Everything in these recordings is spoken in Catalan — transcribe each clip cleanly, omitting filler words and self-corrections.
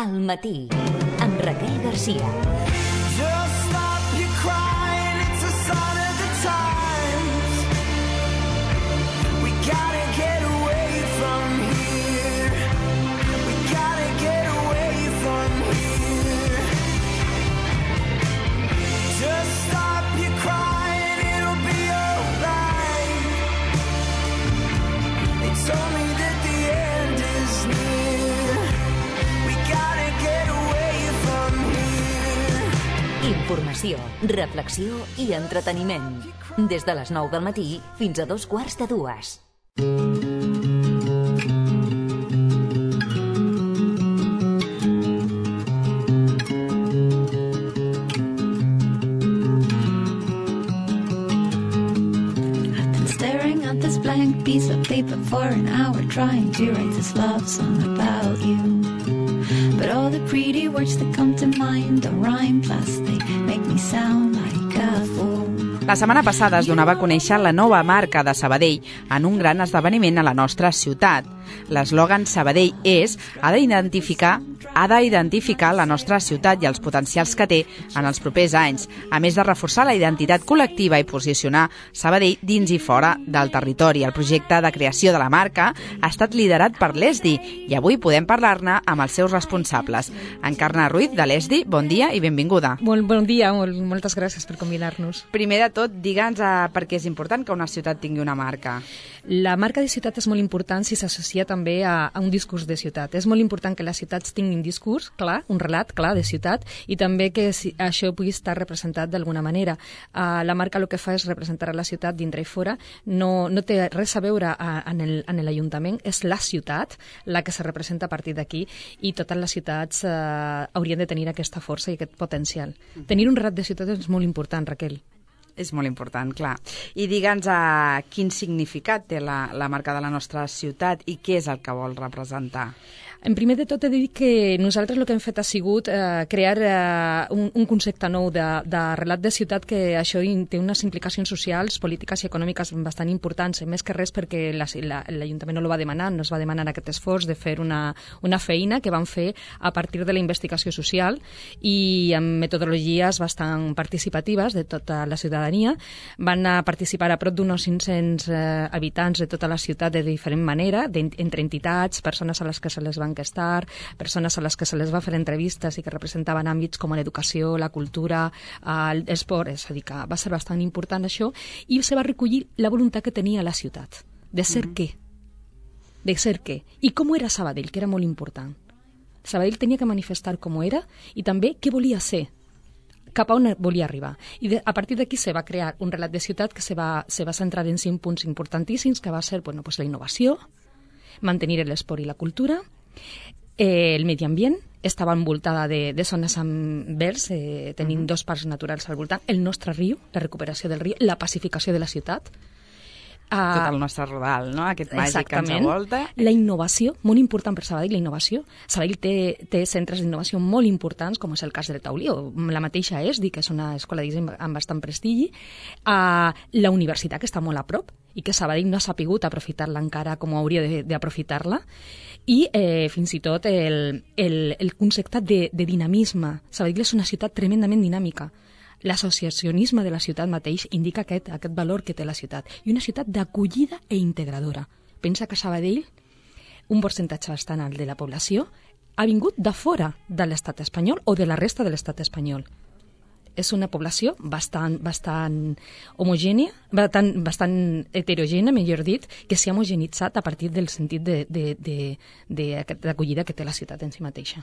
Al matí, amb Raquel Garcia. Just stop your crying, it's a sign of the times. We gotta get away from here. We gotta get away from here. Just stop your crying, it'll be alright. They told me that the end is near. We gotta get away from here. Informació, reflexió i entreteniment. Des de les 9 del matí fins a 2:15. I've been staring at this blank piece of paper for an hour, trying to write this love song about you. But all the pretty words that come to mind don't rhyme, plus they make me sound like a fool. La setmana passada es donava a conèixer la nova marca de Sabadell en un gran esdeveniment a la nostra ciutat. L'eslògan Sabadell és ha d'identificar la nostra ciutat i els potencials que té en els propers anys, a més de reforçar la identitat col·lectiva i posicionar Sabadell dins i fora del territori. El projecte de creació de la marca ha estat liderat per l'ESDI i avui podem parlar-ne amb els seus responsables. Encarna Ruiz, de l'ESDI, bon dia i benvinguda. Molt bon dia, moltes gràcies per convidar-nos. Primer de tot, digue'ns per què és important que una ciutat tingui una marca. La marca de ciutat és molt important si s'associa també a un discurs de ciutat. És molt important que les ciutats tinguin discurs clar, un relat clar de ciutat, i també que això pugui estar representat d'alguna manera. La marca el que fa és representar la ciutat dintre i fora, no té res a veure en l'Ajuntament, és la ciutat la que se representa a partir d'aquí, i totes les ciutats haurien de tenir aquesta força i aquest potencial. Tenir un relat de ciutat és molt important, Raquel. És molt important, clar. I digue'ns quin significat té la marca de la nostra ciutat i què és el que vol representar. En primer de tot he de dir que nosaltres el que hem fet ha sigut crear un concepte nou de relat de ciutat, que això té unes implicacions socials, polítiques i econòmiques bastant importants, més que res perquè l'Ajuntament no ho va demanar, no es va demanar aquest esforç de fer una feina que van fer a partir de la investigació social i amb metodologies bastant participatives de tota la ciutadania. Van participar a prop d'uns 500 habitants de tota la ciutat de diferent manera, entre entitats, persones a les que se les van enquestar, persones a les que se les va fer entrevistes i que representaven àmbits com l'educació, la cultura, l'esport, és a dir, que va ser bastant important això, i se va recollir la voluntat que tenia la ciutat, de ser què? De ser què? I com era Sabadell, que era molt important. Sabadell tenia que manifestar com era i també què volia ser, cap a on volia arribar. I a partir d'aquí se va crear un relat de ciutat que se va centrar en 5 punts importantíssims, que va ser la innovació, mantenir l'esport i la cultura, el medi ambient, estava envoltada de zones amb verds, tenint 2 parcs naturals al voltant, el nostre riu, la recuperació del riu, la pacificació de la ciutat, tot el nostre rodal, no? Aquest màgic que ens envolta. La innovació, molt important per Sabadell, la innovació. Sabadell té centres d'innovació molt importants, com és el cas del Taulí, o la mateixa ESDI, que és una escola de disseny amb bastant prestigi, la universitat, que està molt a prop, i que Sabadell no ha sapigut aprofitar-la encara com hauria d'aprofitar-la, i fins i tot el concepte de dinamisme. Sabadell és una ciutat tremendament dinàmica. L'associacionisme de la ciutat mateix indica aquest valor que té la ciutat. I una ciutat d'acollida i integradora. Pensa que Sabadell, un percentatge bastant alt de la població, ha vingut de fora de l'estat espanyol o de la resta de l'estat espanyol. És una població bastant homogènia, bastant heterogènia, millor dit, que s'ha homogeneïtzat a partir del sentit d'acollida que té la ciutat en si mateixa.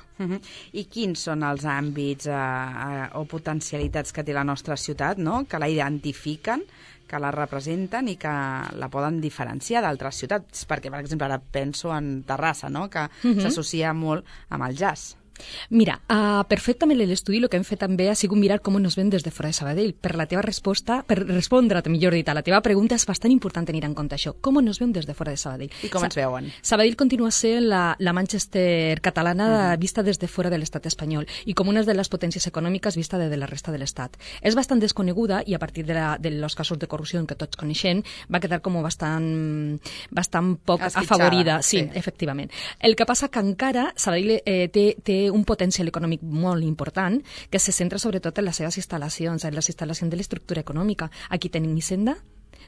I quins són els àmbits o potencialitats que té la nostra ciutat, no? Que la identifiquen, que la representen i que la poden diferenciar d'altres ciutats? Perquè, per exemple, ara penso en Terrassa, no? Que s'associa molt amb el jazz. Mira, perfectament l'estudi el que hem fet també ha sigut mirar com ens ven des de fora de Sabadell. Per la teva resposta, per respondre, millor dit, a la teva pregunta, és bastant important tenir en compte això. Com ens veuen des de fora de Sabadell? I com ens veuen? Sabadell continua sent la Manchester catalana vista des de fora de l'estat espanyol i com una de les potències econòmiques vista de la resta de l'estat. És bastant desconeguda i a partir dels casos de corrupció que tots coneixem va quedar com bastant poc afavorida. Sí, efectivament. El que passa que encara Sabadell té un potencial econòmic molt important que se centra sobretot en les seves instal·lacions, en les instal·lacions de l'estructura econòmica. Aquí tenim Hisenda,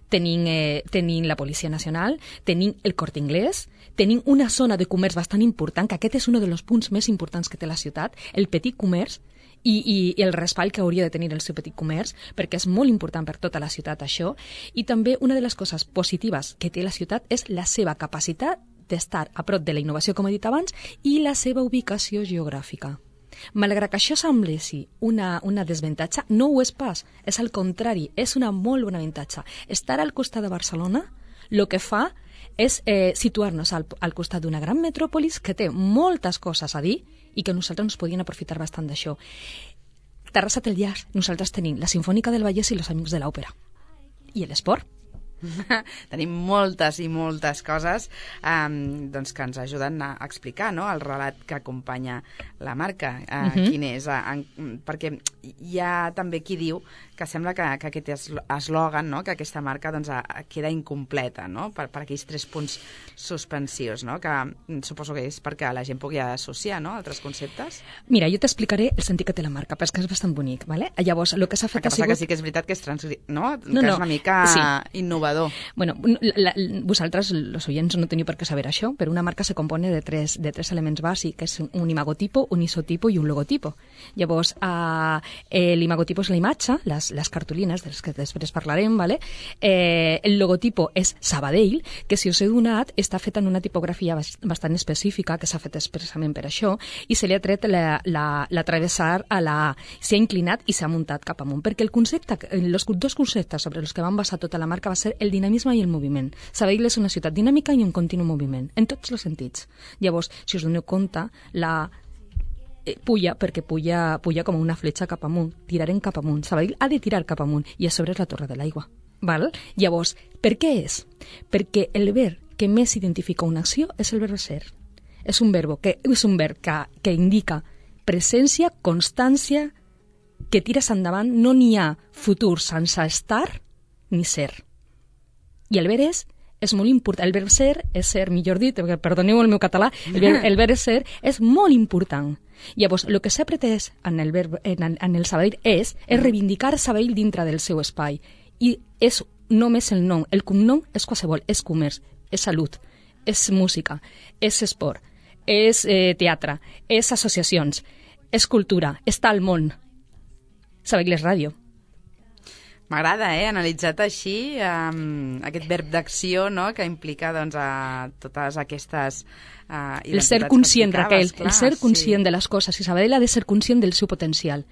tenim la Policia Nacional, tenim el Corte Inglés, tenim una zona de comerç bastant important, que aquest és un dels punts més importants que té la ciutat, el petit comerç, i el respall que hauria de tenir el seu petit comerç, perquè és molt important per tota la ciutat això, i també una de les coses positives que té la ciutat és la seva capacitat d'estar a prop de la innovació, com he dit abans, i la seva ubicació geogràfica. Malgrat que això sembli una desavantatge, no ho és pas, és al contrari, és una molt bona avantatge. Estar al costat de Barcelona el que fa és situar-nos al costat d'una gran metròpolis que té moltes coses a dir i que nosaltres ens podíem aprofitar bastant d'això. Terrassa té el llac, nosaltres tenim la Simfònica del Vallès i els Amics de l'Òpera. I l'esport. Tenim moltes i moltes coses doncs que ens ajuden a explicar, no?, el relat que acompanya la marca, quin és, perquè hi ha també qui diu que sembla que aquest eslògan, no?, que aquesta marca doncs, queda incompleta, no?, per aquells 3 punts suspensius, no?, que suposo que és perquè la gent pugui associar, no?, altres conceptes. Mira, jo t'explicaré el sentit que té la marca, perquè és que és bastant bonic, ¿vale? Llavors, el que s'ha fet ha sigut... que sí que és veritat que és no? Que és una mica innovador. Bueno, vosaltres, los oyents, no teniu per què saber això, però una marca se compone de tres elements bàsics, que és un imagotipo, un isotipo i un logotipo. Llavors, l'imagotipo és la imatge, les cartolines, dels que després parlarem, ¿vale? El logotipo és Sabadell, que si us he donat, està fet en una tipografia bastant específica, que s'ha fet expressament per això, i se li ha tret la travessar a la A. S'ha inclinat i s'ha muntat cap amunt, perquè els 2 conceptes sobre els que van basar tota la marca va ser el dinamisme i el moviment. Sabadell és una ciutat dinàmica i en continu moviment, en tots els sentits. Llavors, si us doneu compte, la puja, perquè puja com una fletxa cap amunt, tirarem cap amunt. Sabadell ha de tirar cap amunt i a sobre és la Torre de l'Aigua. Val? Llavors, per què és? Perquè el verb que més identifica una acció és el verb ser. És un verb que indica presència, constància, que tires endavant, no n'hi ha futur sense estar ni ser. I el verb és molt important. El verb ser és ser, millor dit, perdoneu el meu català, el verb ser és molt important. Llavors, el que s'ha pretès en el Sabadell és reivindicar Sabadell dintre del seu espai. I és només el nom. El cognom és qualsevol, és comerç, és salut, és música, és esport, és teatre, és associacions, és cultura, està al món. Sabadell és ràdio. M'agrada, analitzat així, aquest verb d'acció, no?, que implica doncs, totes aquestes identitats. El ser conscient, Raquel, el ser conscient de les coses. I Sabadell ha de ser conscient del seu potencial.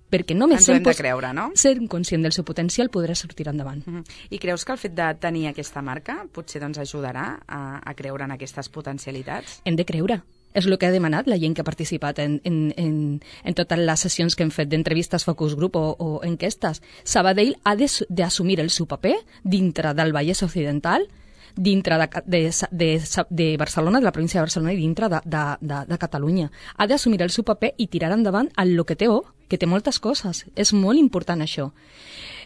Perquè només ens ho hem de creure, no? Ser conscient del seu potencial podrà sortir endavant. I creus que el fet de tenir aquesta marca potser doncs, ajudarà a creure en aquestes potencialitats? Hem de creure. És el que ha demanat la gent que ha participat en totes les sessions que hem fet d'entrevistes, focus group o enquestes. Sabadell ha d'assumir el seu paper dintre del Vallès Occidental, dintre de Barcelona, de la província de Barcelona i dintre de Catalunya. Ha d'assumir el seu paper i tirar endavant el que té, que té moltes coses. És molt important això.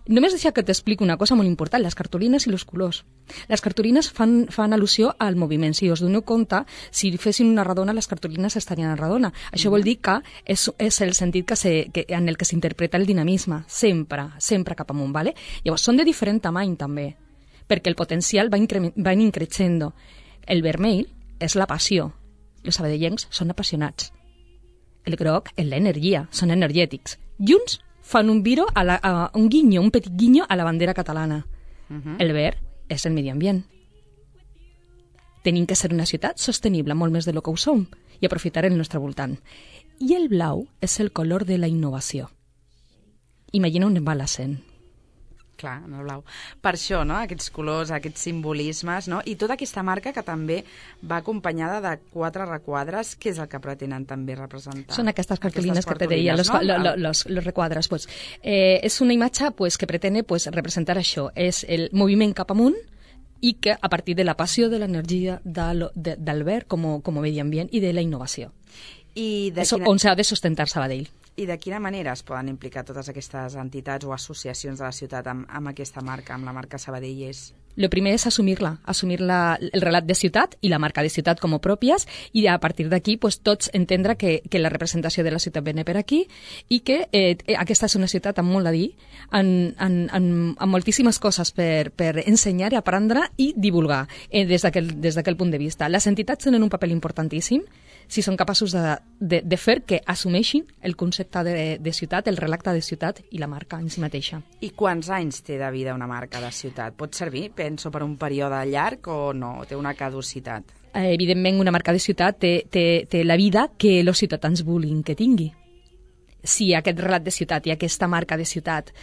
Només deixa que t'explico una cosa molt important, les cartolines i els colors. Les cartolines fan al·lusió al moviment. Si us doneu compte, si fessin una redona, les cartolines estarien en redona. Això vol dir que és el sentit en el que s'interpreta el dinamisme, sempre cap amunt. ¿Vale? Llavors, són de diferent tamany també, perquè el potencial va increixent. El vermell és la passió. Els sabadellencs són apassionats. El groc és l'energia, són energètics. Junts fan un un petit guinyo a la bandera catalana. El verd és el medi ambient. Tenim que ser una ciutat sostenible, molt més de lo que ho som, i aprofitar el nostre voltant. I el blau és el color de la innovació. Imagina on va l'accent. Clar, en el blau. Per això, no?, aquests colors, aquests simbolismes, no?, i tota aquesta marca que també va acompanyada de 4 requadres, què és el que pretenen també representar? Són aquestes cartolines que te deia, los requadres. Pues, és una imatge que pretene representar això, és el moviment cap amunt i que a partir de la passió, de l'energia del verd com a medi ambient i de la innovació. On s'ha de sustentar Sabadell. I de quina manera es poden implicar totes aquestes entitats o associacions de la ciutat amb aquesta marca, amb la marca Sabadell és? Lo primer és assumir el relat de ciutat i la marca de ciutat com a pròpies, i a partir d'aquí pues, tots entendre que la representació de la ciutat ve per aquí i que aquesta és una ciutat amb molt a dir, amb moltíssimes coses per ensenyar, aprendre i divulgar des d'aquell punt de vista. Les entitats tenen un paper importantíssim si són capaços de fer que assumeixin el concepte de ciutat, el relacte de ciutat i la marca en si mateixa. I quants anys té de vida una marca de ciutat? Pot servir, penso, per un període llarg o no? Té una caducitat? Evidentment, una marca de ciutat té la vida que els ciutadans vulguin que tingui. Si aquest relat de ciutat i aquesta marca de ciutat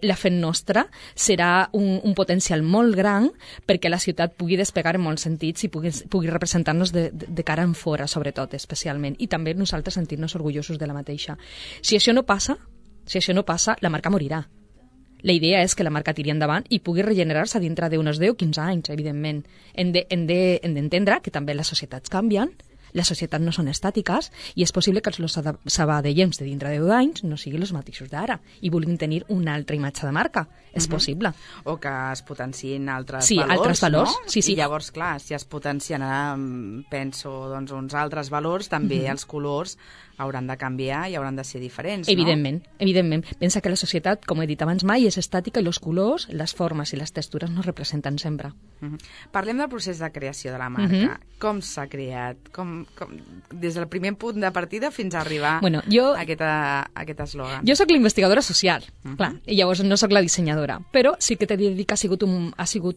la fem nostra, serà un potencial molt gran perquè la ciutat pugui despegar en molts sentits i pugui representar-nos de cara en fora, sobretot, especialment. I també nosaltres sentir-nos orgullosos de la mateixa. Si això no passa, la marca morirà. La idea és que la marca tiri endavant i pugui regenerar-se dintre d'uns 10 o 15 anys, evidentment. Hem d'entendre que també les societats canvien, les societats no són estàtiques i és possible que els sabadellencs de dintre de 10 anys no siguin els mateixos d'ara i vulguin tenir una altra imatge de marca. És possible. O que es potenciïn altres valors, altres valors, no? Sí. I llavors, clar, si es potencien, penso, doncs, uns altres valors, també els colors hauran de canviar i hauran de ser diferents, evidentment. Pensa que la societat, com he dit abans, mai és estàtica i els colors, les formes i les textures no representen sempre. Parlem del procés de creació de la marca. Com s'ha creat? Des del primer punt de partida fins a arribar a aquest eslògan. Jo sóc l'investigadora social, clar, i llavors no sóc la dissenyadora, però sí que t'he de dir que ha sigut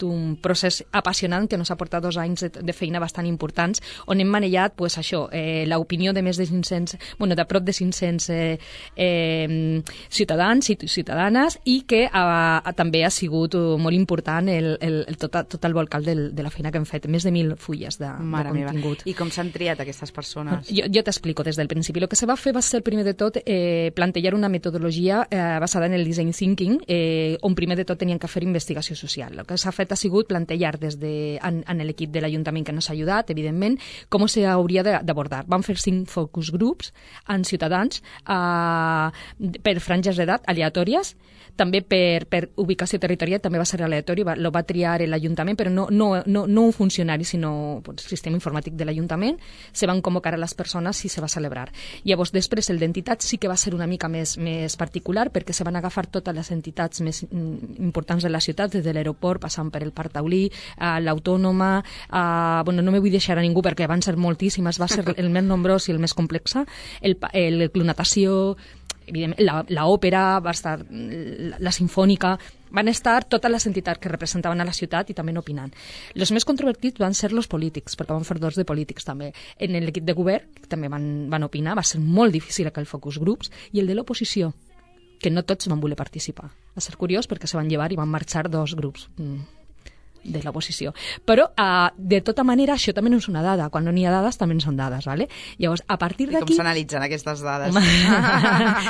un procés apassionant que ens ha portat 2 anys de feina bastant importants, on hem manellat l'opinió de més de 500, de prop de 500 ciutadans i ciutadanes, i que també ha sigut molt important tot el volcal de la feina que hem fet, més de 1.000 fulles de contingut. I com s'han triat aquestes persones? Jo t'explico des del principi. El que se va fer va ser, primer de tot, plantejar una metodologia basada en el design thinking, on primer de tot tenien que fer investigació social. El que s'ha fet ha sigut plantejar en l'equip de l'Ajuntament que ens ha ajudat, evidentment, com s'hauria d'abordar. Vam fer 5 focus groups en ciutadans per franges d'edat aleatòries, també per ubicació territorial, també va ser aleatori, lo va triar l'Ajuntament, però no un funcionari, sinó el sistema informàtic de l'Ajuntament. Se van convocar a les persones i se va celebrar. Llavors, després, el d'entitats sí que va ser una mica més particular, perquè se van agafar totes les entitats més importants de la ciutat, des de l'aeroport, passant per el Parc Taulí, l'Autònoma, no me vull deixar a ningú perquè van ser moltíssimes, va ser el més nombrós i el més complex, el Club Natació, l'òpera, va estar la Sinfònica, van estar totes les entitats que representaven a la ciutat i també opinant. Els més controvertits van ser els polítics, perquè van fer 2 de polítics també. En l'equip de govern, que també van opinar, va ser molt difícil aquell focus groups, i el de l'oposició, que no tots van voler participar. Va ser curiós perquè se van llevar i van marxar 2 grups de l'oposició. Però, de tota manera, això també no és una dada. Quan no n'hi ha dades, també són dades, ¿vale? Llavors, a partir d'aquí... I com s'analitzen aquestes dades?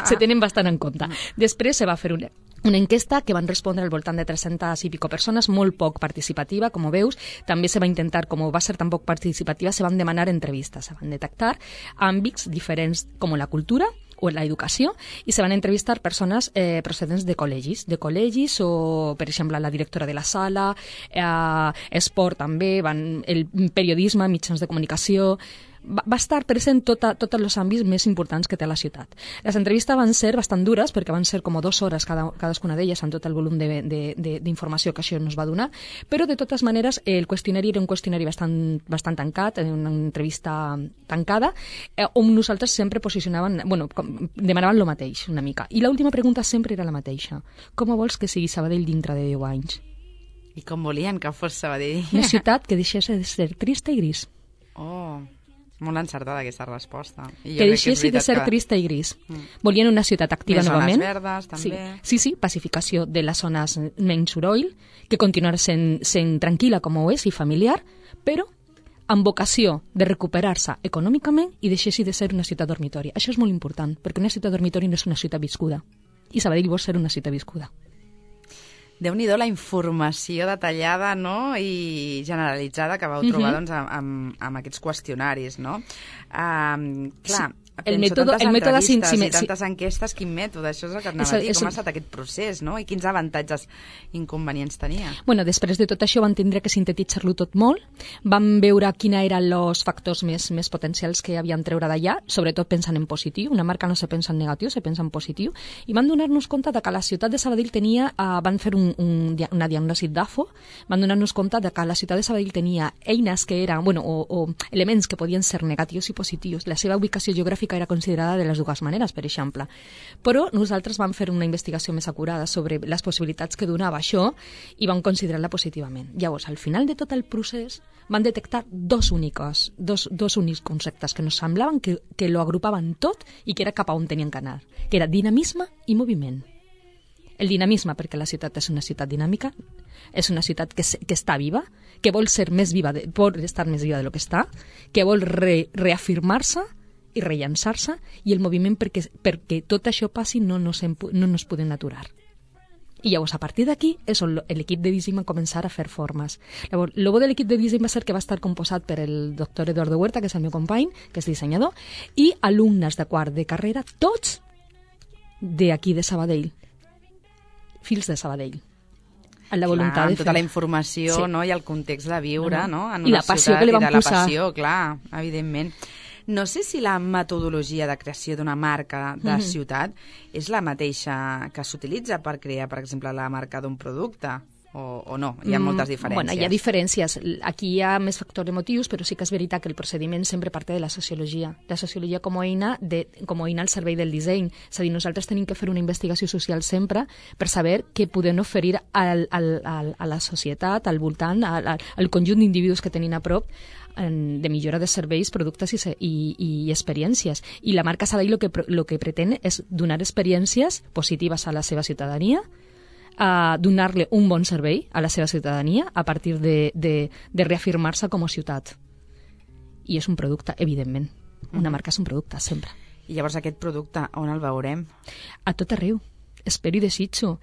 Se tenen bastant en compte. Després se va fer una enquesta que van respondre al voltant de 300 i pico persones, molt poc participativa, com veus. També se va intentar, com va ser tan poc participativa, se van demanar entrevistes, se van detectar àmbits diferents com la cultura o l'educació, i se van entrevistar persones procedents de col·legis o, per exemple, la directora de la sala, esport també, el periodisme, mitjans de comunicació... Va estar present tots els àmbits més importants que té la ciutat. Les entrevistes van ser bastant dures, perquè van ser com 2 hores cadascuna d'elles amb tot el volum d'informació que això ens va donar, però de totes maneres el qüestionari era un qüestionari bastant tancat, una entrevista tancada, on nosaltres sempre demanaven el mateix una mica. I l'última pregunta sempre era la mateixa. Com vols que sigui Sabadell dintre de 10 anys? I com volien que fos Sabadell? Una ciutat que deixés de ser trista i gris. Molt encertada aquesta resposta. Que deixessi de ser trista i gris. Volien una ciutat activa novament. Més zones verdes, també. Sí, pacificació de les zones menys soroll, que continuarà sent tranquil·la com ho és i familiar, però amb vocació de recuperar-se econòmicament i deixessi de ser una ciutat dormitori. Això és molt important, perquè una ciutat dormitori no és una ciutat viscuda. I Sabadell vol ser una ciutat viscuda. Déu-n'hi-do la informació detallada, no?, i generalitzada que vau trobar doncs, amb aquests qüestionaris, no? Clar, el mètode i tantes enquestes, quin mètode? Això és el que anava a dir. Com ha estat aquest procés, no? I quins avantatges i inconvenients tenia? Bueno, després de tot això van tindre que sintetitzar-lo tot molt, van veure quina eren els factors més potencials que havien treure d'allà, sobretot pensant en positiu, una marca no se pensa en negatiu, se pensa en positiu, i van donar-nos compte de que la ciutat de Sabadell tenia, van fer una diagnosi d'AFO, van donar-nos compte de que la ciutat de Sabadell tenia eines que eren, bueno, o elements que podien ser negatius i positius. La seva ubicació geogràfica era considerada de les dues maneres, per exemple. Però nosaltres vam fer una investigació més acurada sobre les possibilitats que donava això i vam considerar-la positivament. Llavors, al final de tot el procés, van detectar dos únics conceptes que nos semblaven que lo agrupaven tot i que era cap a on tenien que anar, que era dinamisme i moviment. El dinamisme, perquè la ciutat és una ciutat dinàmica, és una ciutat que està viva, que vol ser més viva, vol estar més viva de lo que està, que vol reafirmar-se i rellançar-se, i el moviment perquè tot això passi no nos podem aturar. I llavors, a partir d'aquí, és on l'equip de disseny va començar a fer formes. Llavors, el bo de l'equip de disseny va ser que va estar composat per el doctor Eduardo Huerta, que és el meu company, que és dissenyador, i alumnes de quart de carrera, tots d'aquí de Sabadell, fills de Sabadell. La voluntat amb tota la informació, sí, no? I el context de viure, no? En I una la passió ciutat, que li van i de la posar. passió, clar, evidentment. No sé si la metodologia de creació d'una marca de ciutat és la mateixa que s'utilitza per crear, per exemple, la marca d'un producte, o no? Hi ha moltes diferències. Bueno, hi ha diferències. Aquí hi ha més factors emotius, però sí que és veritat que el procediment sempre parte de la sociologia. La sociologia com a eina al servei del disseny. És a dir, nosaltres tenim que fer una investigació social sempre per saber què podem oferir a la societat, al voltant, al conjunt d'individus que tenim a prop, de millora de serveis, productes i experiències. I la marca Sabadell lo que pretén és donar experiències positives a la seva ciutadania, a donar-li un bon servei a la seva ciutadania a partir de reafirmar-se com a ciutat. I és un producte, evidentment. Una marca és un producte, sempre. I llavors aquest producte, on el veurem? A tot arreu. Espero i desitjo.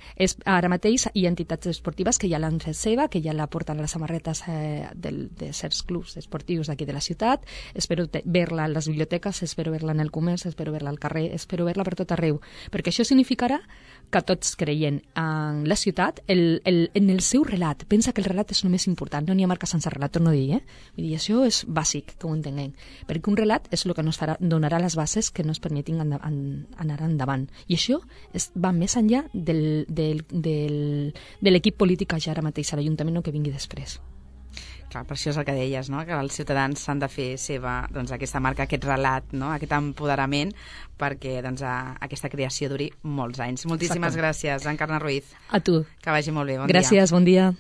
Ara mateix hi ha entitats esportives que ja l'han fet seva, que ja la porten a les samarretes de certs clubs esportius d'aquí de la ciutat. Espero ver-la a les biblioteques, espero ver-la en el comerç, espero ver-la al carrer, espero ver-la per tot arreu. Perquè això significarà que tots creient en la ciutat, en el seu relat. Pensa que el relat és el més important, no n'hi ha marca sense relat, torno a dir, Vull dir, això és bàsic, que ho entenguem. Perquè un relat és el que ens donarà les bases que ens permetin anar endavant. I això va més enllà de l'equip polític que ja ara mateix a l'Ajuntament o que vingui després. Clar, per això és el que deies, no? Que els ciutadans s'han de fer seva, doncs, aquesta marca, aquest relat, no? Aquest empoderament, perquè doncs, aquesta creació duri molts anys. Moltíssimes gràcies, Encarna Ruiz. A tu. Que vagi molt bé, bon dia. Gràcies, bon dia.